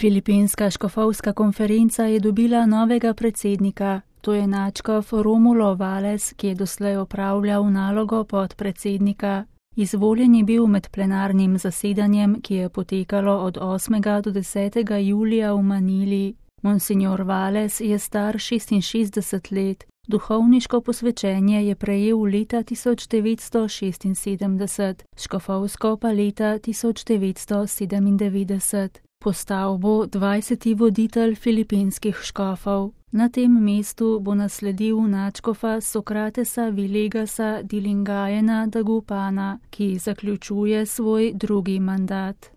Filipinska škofovska konferenca je dobila novega predsednika, to je nadškof Romulo Valles, ki je doslej opravljal nalogo podpredsednika. Izvoljen je bil med plenarnim zasedanjem, ki je potekalo od 8. do 10. julija v Manili. Monsignor Valles je star 66 let, duhovniško posvečenje je prejel leta 1976, škofovsko pa leta 1997. Postal bo 20. voditelj filipinskih škofov. Na tem mestu bo nasledil nadškofa Sokratesa Vilegasa Dilingayena Dagupana, ki zaključuje svoj drugi mandat.